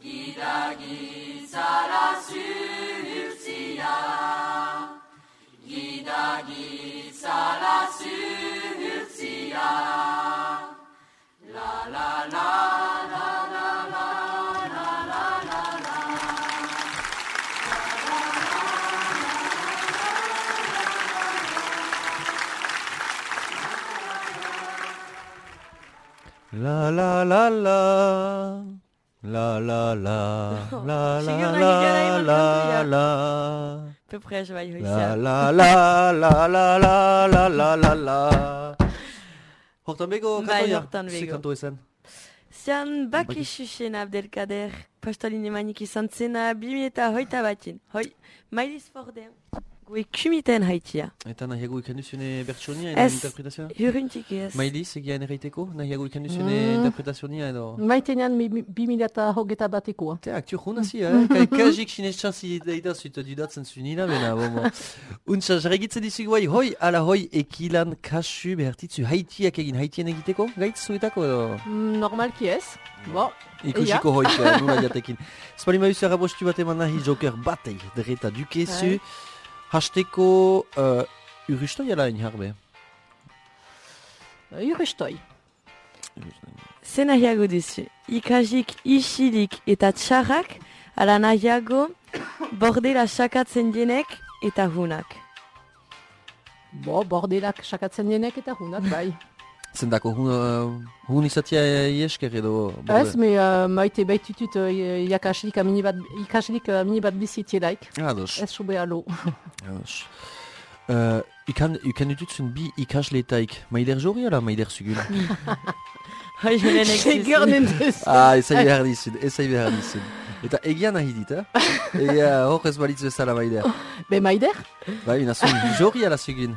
gidagitzara zuhurtziak, gidagitzara zuhurtziak. La la la la la la la la la la. La la la la la la la la Sigur la nahi gara la iman la kantuia. la Peu près, bai, hoi la zea. la la la la la la la la la. Hortan bego Bai, kantoia? hortan Ze bego. kanto ezen? Zean baki xuxen Abdelkader pastalin emanik izan zena bimi eta hoita batin. Hoi, mailiz fordean. Gue kumiten haitia. Eta nahiago ikan duzune bertsonia edo Ez, interpretazioa? huruntik ez. Mailiz, egian erraiteko? Nahiago ikan duzune Mm. interpretazioa edo? Maitenean bi mila eta hogeta batekoa. Te, aktu junazi, eh? Ka- Kajik sinetxanzi daita zuita dudatzen zunila, bena, bomo. Untsa, jarregitzen dizugu bai, hoi, ala hoi, ekilan kasu behartitzu haitiak egin, haitien egiteko? Gaitz zuetako edo? Mm, Normalki ez. Bo, Ikusiko hoik, eh, nula jatekin. Spali maizu errabostu bat eman nahi joker batei, derreta dukezu. Bai. Hasteko, uh, urustoi ala hain harbe? urustoi. Ze nahiago duzu. Ikasik isilik eta txarrak, ala nahiago bordela sakatzen dienek eta hunak. Bo, bordelak sakatzen dienek eta hunak, bai. Zendako, hun, uh, hun izatia iesker edo... Ez, me uh, maite baitutut uh, jakaslik amini bat, ikaslik amini bat bizitielaik. Ados. Ez sube alo. Ados. Uh, ikan, ikan dututzen bi ikasleetaik, maider jori ala maider zugun? Hoi, julenek Segur nendez. Ah, ezai behar dizun, ezai behar dizun. Eta egian nahi dit, eh? Egia hor ez balitz bezala maider. Be maider? Bai, nazun jori ala zugun.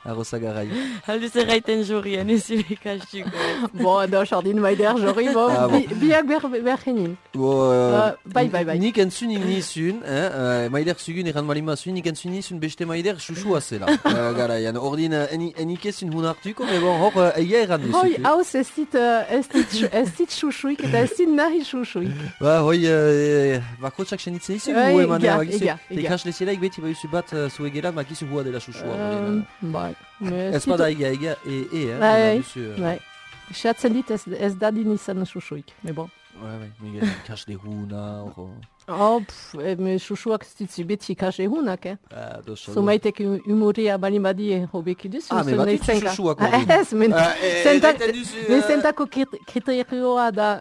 Arroza garai. Alduz erraiten jorien, ez zure ikasiko. Bo, da, jardin maider, jori, bo, Ah, bon. bi- biak ber, ber genin. Bo, uh, Uh, bai, bai, bai. Nik entzunik nizun, eh? uh, maider zugun eran malima zuen, nik entzunik nizun beste maider susua zela. uh, garaian, ordin uh, eni, enik ezin hun hartuko, me bon, hor uh, egia eran duzu. Hoi, hauz ez dit, uh, ez dit, xu- ez dit xuxuik eta ez dit nahi xuxuik. Ba, hoi, uh, bakotsak senitzen izu, Bai, gu emanea, egia, bakizu. egia, egia. Ikasle zelaik beti baiuzu bat uh, zue geran, bakizu hua dela susua. ordin, Um, bai, me Ez bada egia, egia, e, e, eh? Bai, duzu, uh, bai. Xatzen dit ez, ez dadin izan xuxuik, me bon. Bai, bai, Miguel, ikasle huna, hor... Oh, pff, eh, me xuxuak ez ditzu beti ikasle hunak, eh? Ah, doso. Zumaitek humorea bali badie hobeki duzu. Ah, me zuen bat nahi zenka. xuxuak ordin. Ez, men, Ah, eh, zentak- erraiten duzu, men eh, zentako krit- kriterioa da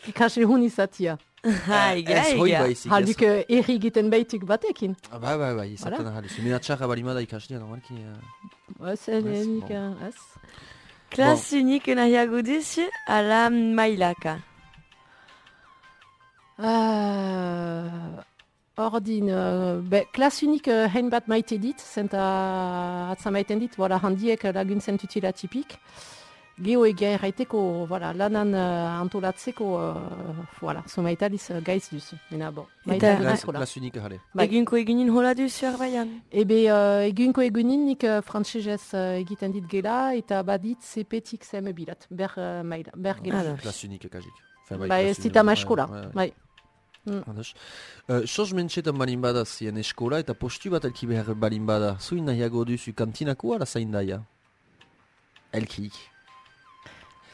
ikasle hun izatia. Ha, egia, Ez hoi egia. baizik, ez. Halduk eh, erri egiten baituk batekin. Ah, bai, bai, bai, izaten Voilà. ahal. Zumena txarra balimada ikaslea, normalki... Uh... Ez, enik, bon. eh, ez. Klas unik nahiago duzu, ala mailaka. Uh, ordin, uh, be, klas unik uh, hein bat maite dit, zenta atza maiten dit, voilà, handiek uh, laguntzen tutila tipik. Geo egia erraiteko, voilà, lanan uh, antolatzeko, uh, voilà, zumaitaliz uh, gaiz duzu. Mena, bon, maite Eta- dut Klas, eskola. klas unik ahale. Bai. Egunko egunin hola duzu erbaian. Ebe, uh, egunko egunin nik uh, frantsesez uh, egiten dit gela, eta badit zepetik zeme bilat, ber uh, maila, ber gela. Ados. Klas unik ekajik. Enfin, Bai, ez klas dita unik, ma bai, eskola, bai, bai. bai. Ados. Uh, Sos mentxetan balin bada zien eskola eta postu bat elki behar balin bada. Zuin nahiago duzu kantinako ala zaindaia? Elkik.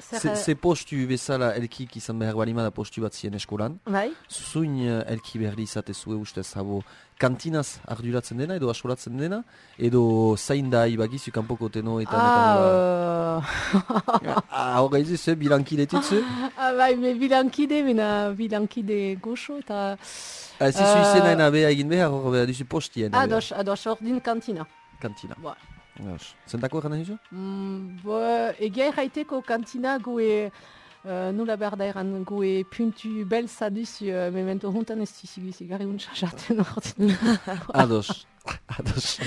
Zer, Ze, uh, ze postu bezala elkik izan behar balin bada postu bat zien eskolan. bai? Zuin uh, elki behar izate zue ustez, habo kantinaz arduratzen dena edo asolatzen dena, edo zaindai bagizu kanpoko teno eta Ah, netan Ah, hor gaizu ze bilankide tutzu? ah, bai, me bilankide, mena bilankide goxo, eta... Ez izu Eh, izena ena beha egin behar, hor behar duzu postien. Ados, ados, ordin kantina. Kantina. Ba. Ados. Zentako egan nahi zu? Mm, bo, egia erraiteko kantina goe... Uh, nula behar da eran goe puntu belza duzu, uh, memento juntan ez dizigu zigarri untsa jaten ordin. Ados. Ados.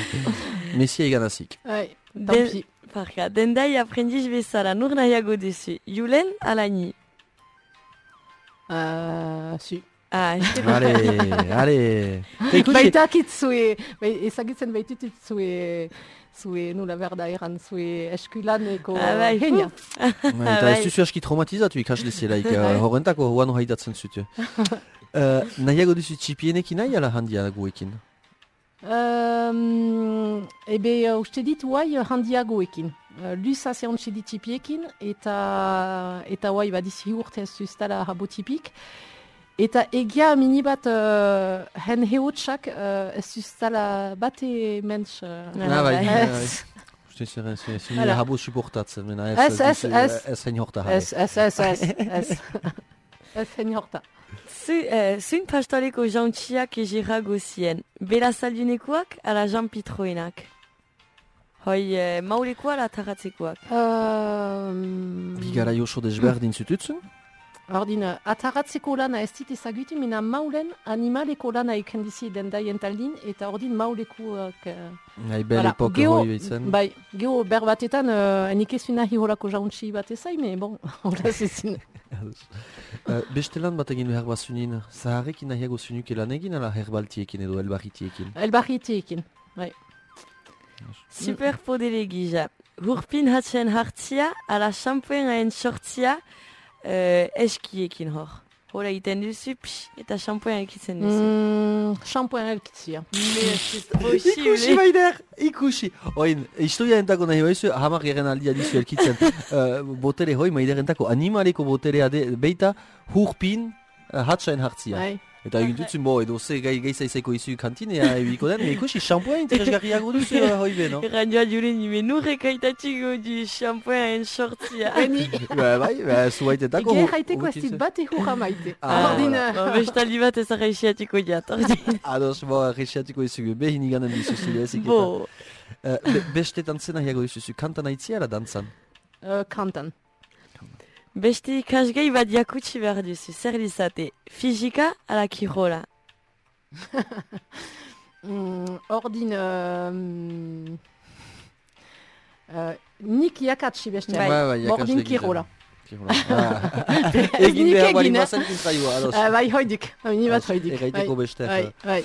Messia egan azik. Bai, Den- tampi. Parka, dendai aprendiz bezala, nur nahiago duzu. Julen, ala ni. Uh, su. Ah, este Ale, ale. Eta ikusi, Baitakit zue, bai, ezagitzen baitutut zue, zue nula behar da eran, zue eskulaneko Ah, bai, genia. Ba, eta ez duzu aski traumatizatu ikasle zelaik, uh, horrentako huan haitatzen zutu. Uh, nahiago duzu txipienekin nahi ala handia guekin? Um, ebe, uh, uste dit, huai uh, handiagoekin. Uh, Luza zehantxe ditipiekin, eta, eta huai badizi urte ez zuztala habo tipik. Eta egia mini bat uh, hen heotxak uh, ez zuztala bate mentz. Uh, Ah, bai, bai, bai. ez, Uste zeren, zeren, zeren, Hala. habo suportatzen, mena Ez, ez, duzu, ez. Ez hain horta jale. ez, ez, ez, ez, ez, ez hen horta. Zu, eh, zuin pastoreko jauntxiak egirago zien. Bela saldunekoak, ala Jean Pitroenak. Hoi, eh, maulekoa ala taratzekoak. Um, Bi gara oso desberdin zututzen? Ordin, ataratzeko lana ez dit ezagutu, mina maulen animaleko lana eken dizi dendaien taldin, eta ordin maulekuak... Uh, Nahi bel voilà. epok Geo- hoi behitzen. Bai, geho ber batetan, uh, enik ez nahi horako jauntzi bat ezai, me bon, hola zezin. Uh, beste lan bat egin behar bazunin, zaharrekin nahiago zunuke lan egin, ala herbaltiekin edo elbarritiekin? Elbarritiekin, bai. Super podele gija. Hurpin hatzen hartzia, ala shampoen sortzia, uh, eskiekin hor. Hola egiten duzu, psh, eta shampoen ekitzen duzu. Mm, Shampoen elkitzia. Mais c'est Ikusi possible. baider, ikusi! Oin, historia entako nahi baizu, hamar geren aldia dizu elkitzen. uh, botere hoi, maider entako animaleko boterea de, beita hurpin uh, hatsain hartzia. Bai. Eta egin dutzen, bo, edo ze gai gaiza izeko izu kantinea ebiko den, me ikusi shampoen interesgarriago duzu uh, hoi be, no? Ranjoa jure nime nurrek aitatxiko du shampoen sortzia. Ba, bai, ba, zuaitetako... Ege jaiteko ez dit bat ehurra maite. Ah, Ordin, Ba, bestaldi bat ez arraixiatiko jat, ordin. Ados, bo, arresiatiko izugu, behin iganen dizuzu, ezik eta... Bo, Uh, be, beste tantzena hiago dizuzu, kantan aitzia ala dantzan? uh, kantan. beste ikasgai bat jakutsi behar duzu, zer dizate, fizika ala kirola. Mm, ordin, um, uh, nik jakatsi beste. Bai. Bai, bai, jakasle Ordin gizan. kirola. Kirola. Ah. Ez Egin nik behar bali egin, eh? bazen kontraioa, ados. Uh, bai, hoidik. Ni bat hoidik. Erraiteko beste. Bai, bai.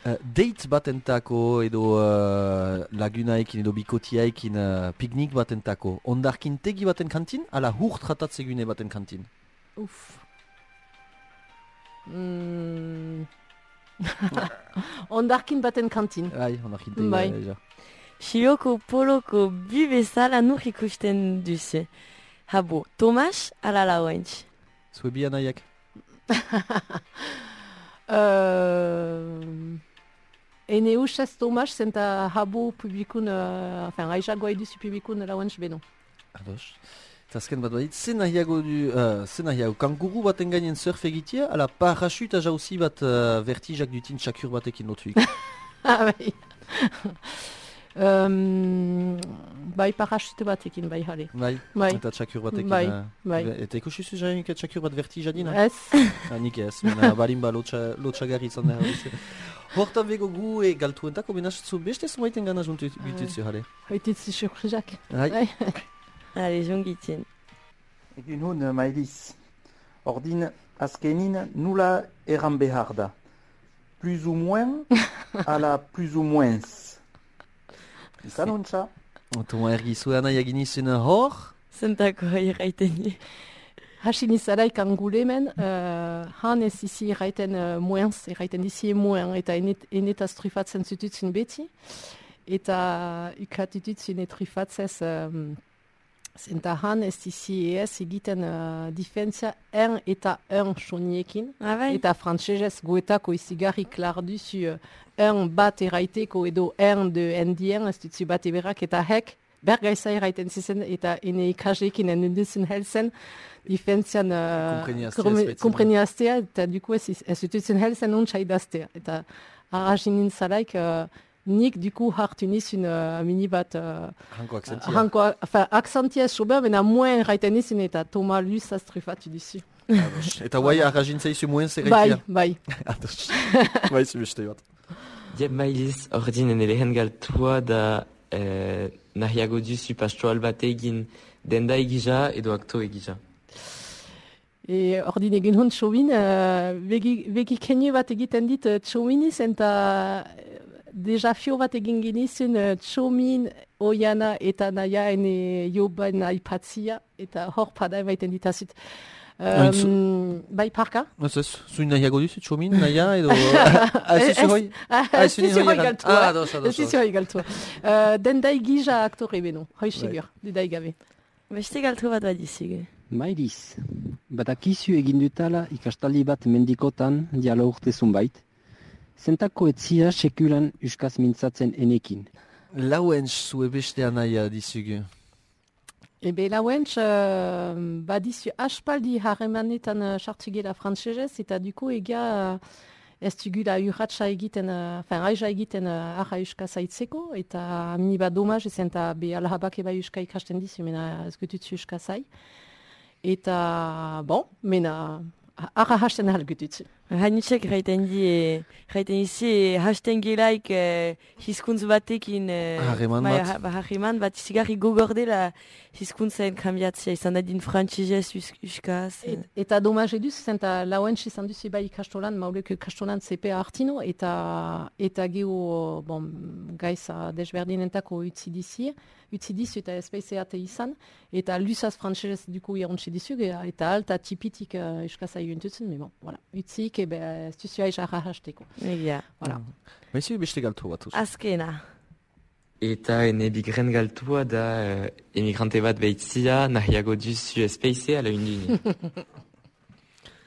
Uh, date batentako edo uh, lagunaekin edo bikotiaekin uh, piknik batentako, ondarkin tegi baten kantin, ala hur tratatzegune baten kantin? Uf. Mm. Ondarkin baten kantin. Bai, ondarkin tegi. Bai. uh, ja. Sioko poloko bi bezala nur ikusten duzu. Habo, Tomas ala lauentz. Zue bi anaiak? Uh, ene usaz Tomas zenta habo publikun, uh, enfin, aizagoa eduzu publikun lauentz beno. Ados. Eta azken bat badit, zen nahiago du, uh, zen nahiago, kanguru baten gainen surf egitea, ala parachute jauzi bat uh, vertijak dutin txakur batekin lotuik. Ah, bai. um, bai, parachute batekin, bai, jale. Bai, Bai. eta txakur batekin. Bai, uh, bai. Eta ikusi zu jainik txakur bat vertija dina? Ez. Ah, nik ez, mena balin ba lotxa, lotxagarri izan da. Hortan bego gu e galtuentako, benaz zu beste zumaiten gana juntu bitutzu, jale. Hoititzu surprizak. Bai. Bai. Allez, jongitzen. Egun hon, Maëlys. Ordin, azkenin nula erran behar da. Plus ou moins, ala plus ou moins. Izan hontza? Toma ergi zuena egin izun hor? Zentako irraiten du. Hasi nizalaik angulemen, uh, han ez izi erraiten uh, moins, erraiten dizi moins, eta enet, enetaz trufatzen zututzen beti. Eta ukatututzen etrufatzez, um, zenta han ez izi ez egiten uh, difentzia en eta en soniekin. Ah, bai? Eta frantsesez goetako izigarri klar duzu uh, en bat erraiteko edo en de endien, ez dutzu bat eberak, eta hek, bergaiza erraiten zizen, eta ene ikasleekin enunduzen helzen, difentzian Kompreniaztea, kompreniaztea, eta duko ez, ez dutuzen helzen ontsa idaztea. Eta arrazinin zalaik, uh, nik duko hartu nizun uh, mini bat... Uh, Hanko akzentia. Hanko, enfin, akzentia sober, bena moen erraiten nizun, eta Toma luz astrufatu duzu. Ados. Eta guai arrajin zaizu muen Bai, zerreitia? bai. Ados. Bai, zu beste bat. Jeb Maëlys, ordin ene lehen galtua da eh, nahiago duzu pastoral bat egin denda egija edo akto egija. E ordin egin hon txobin, uh, begi, begi kenio bat egiten dit uh, txominiz, eta uh, desafio bat egin genizun uh, txomin, oiana eta naia ene joban aipatzia, eta hor pada emaiten ditazut. Um, bai, parka? Ez ez, zuin nahiago duzu, txomin, naia edo... Ah, ez zuzu hoi? Ez zuzu hoi galtua. Ah, ados, ados. Ez zuzu hoi galtua. Uh, dendai gija aktore beno, hoi segur, didai gabe. Beste galtu bat bat dizugu. Maëlys, badakizu egin dutala ikastaldi bat mendikotan diala urte zunbait, zentako etzia sekulan euskaz mintzatzen enekin. Lauentz zue beste anaia dizugu. Ebe lauentz, uh, badizu aspaldi harremanetan uh, sartzugela frantsesez, eta duko ega uh, ez dugula urratxa egiten, uh, enfin, aiza egiten uh, arra euskaz aitzeko, eta mini bat domaz, ezen eta be alhabak eba euska ikasten dizu, mena ez gututzu euskaz ai. Eta, bon, mena, arra hasten ahalgututzu. Hainitxek raiten di, raiten izi, hasten gelaik eh, hizkuntz batekin... Eh, Harreman bai, bat. ha- ba, harreman bat, zigarri gogordela hizkuntzaen kambiatzea, izan da din frantzizez, uskaz... Eh. Eta domaz eduz, zenta lauentz izan duzu bai ikastolan, mauleko ikastolan C P A hartino, eta, eta geho, bon, gaiza desberdinentako utzi dizi, utzi dizu eta espeizeate izan, eta lusaz frantzizez duko irontzi dizu, eta alta tipitik uh, euskaza juntutzen, me bon, voilà, utzik, ebe, ez duzu aiz arra hasteko. Egia. Voilà. Baizu beste galtu bat. Azkena. Eta ene bigren galtua da uh, emigrante bat behitzia nahiago duzu espeize ala unduni.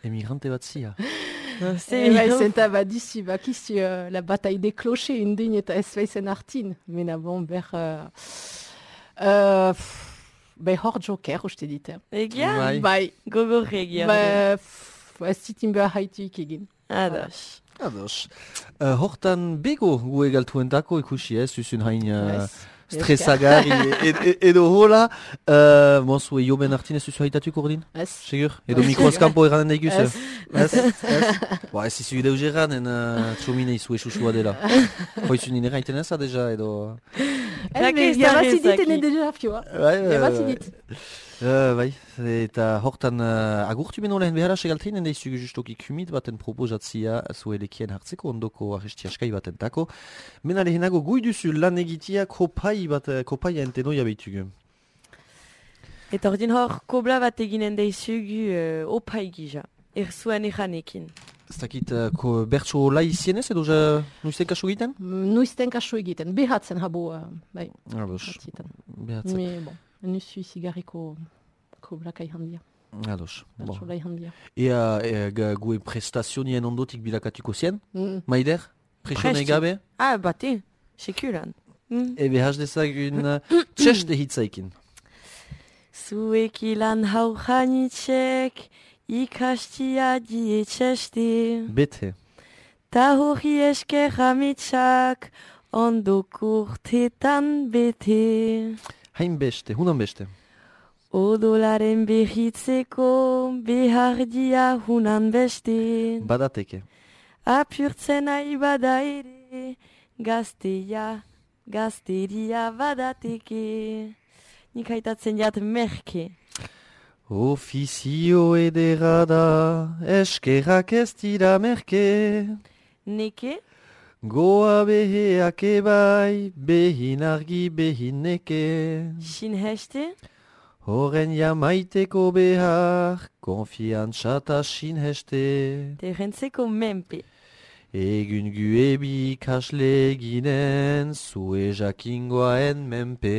Emigrante bat zia. Eh, bai, zenta badizu, bakizu uh, la bataille des clochers indin eta espeizen hartin, mena bon, ber... Uh, uh, bai hor joker, uste dit. Egia? Bai. Bai. Gogorre egia. Ba, pff, ez zitin behar haituik egin. Ados. Ados. Uh, hortan bego gue galtuentako ikusi ez, zuzun hain uh, Yes. stresagarri ed, ed, edo hola. Uh, Monsu, joben hartin ez zuzu haitatuko ordin? Ez. Segur? Edo mikroskampo eranen daiguz? Ez. Ez? Ez? Ba, ez izu ideu geran, en uh, txomine izu esusua dela. Hoizun nire haiten eza deja, edo... Ez, be, jabazi dit ene deja fioa. Bai, bai, Jabazi bai. dit. Uh, bai, eta hortan uh, agurtu beno lehen behara segaltein, enda izu justoki kumit baten proposatzia zuelekien hartzeko ondoko arresti askai baten tako. Mena lehenago gui duzu lan egitia kopai bat, kopaia entenoia behitugu. Eta ordin hor, kobla bat eginen daizugu uh, opai gija. Erzuen eranekin. Ez dakit, uh, ko, bertso lai izienez edo ja nuizten kaso egiten? Nuizten kaso egiten, behatzen habo, uh, bai. Ados, behatzen. Me, bon, nuzu izigarriko koblaka handia. Ados, bon. Bertso lai handia. Ea, ea gue prestazionien ondotik bilakatuko zien? Mm. Maider? Presione gabe? Ah, bate, sekulan. Mm. Ebe has dezagun uh, txeste hitzaikin. Zuek ilan hau janitxek, ikastia die txeste. Bete. Ta hori esker amitsak, ondoko urtetan bete. Hain beste, hunan beste. Odolaren behitzeko, behardia hunan beste. Badateke. Apurtzen nahi bada ere, gazteia, gazteria badateke. Nik haitatzen jat merke. Ofizio edera da, eskerrak ez dira merke. Neke? Goa beheak ebai, behin argi behin neke. Sin heste? Horren jamaiteko behar, konfiantza ta sinheste. Terrentzeko menpe. Egun guebi kasle ginen, zue jakingoaen menpe.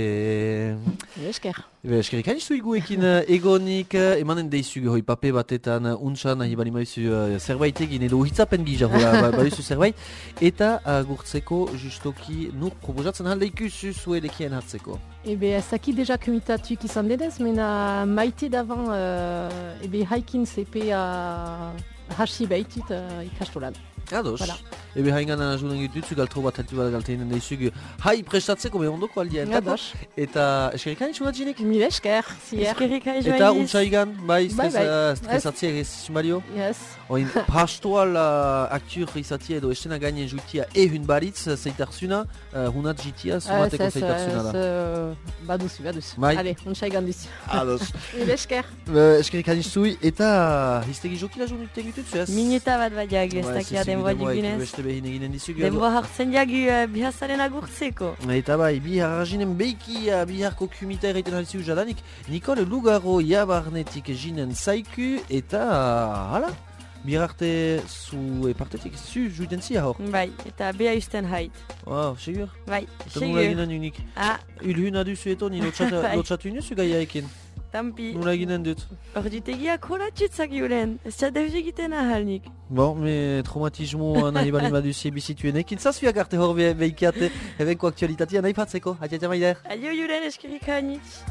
Esker. Ebe, eskerik hain izu iguekin uh, egonik, uh, emanen deizu hoi pape batetan uh, untsan nahi bali maizu uh, zerbait egin edo hitzapen gija hola ba, baduzu zerbait. Eta agurtzeko justoki nur proposatzen halde ikusu zuelekien hartzeko. Ebe, ezaki deja komitatuik izan denez, mena maite davan, uh, ebe haikin C P a hasi behitut uh, ikastolan. Ados. Voilà. Ebe haingan ajudan gitutzu galtro bat heltu bat galteinen deizugu hai prestatzeko me ondoko aldien. Ados. Eta eskerik hain txugat jinek? Mil esker, zier. Eskerik hain Eta joaniz. untsaigan, bai, Bai, bai. stresatzia egizizun balio? Yes. Oin pastoal uh, aktur izatia edo estena gainen jutia ehun baritz zeitarzuna, uh, hunat jitia sumateko zeitarzuna da. Ez, baduzu, baduzu. Bai. Ale, untsaigan duzu. Ados. Mil esker. Uh, eskerik hain zui, eta hiztegi jokila jo egitutzu ez? Mineta bat badiak, ez dakia denboa digunez. Beste behin eginen dizugu. Denboa hartzen jagu uh, bihazaren agurtzeko. Eta bai, bihar arginen beiki uh, biharko kumita erraiten haliziu jadanik, Nikole Lugaro jabarnetik jinen zaiku, eta uh, hala, bihar arte zu epartetik zu juiten zia hor. Bai, eta beha usten hait. Wow, segur? Bai, Eta nula segur. eginen unik. Ah, Ulhuna duzu eto, ni Bai. lotxatu inuzu gaiaekin. tampi. Nula eginen dut. Orditegiak holatxutzak julen, ez txadeuz egiten ahalnik. Bon, me traumatismo nahi bali baduzi bizituenek, intzazuak arte hor be- beikiate, ebenko aktualitatea nahi patzeko. Atia maider. Adio julen eskerik hainitz.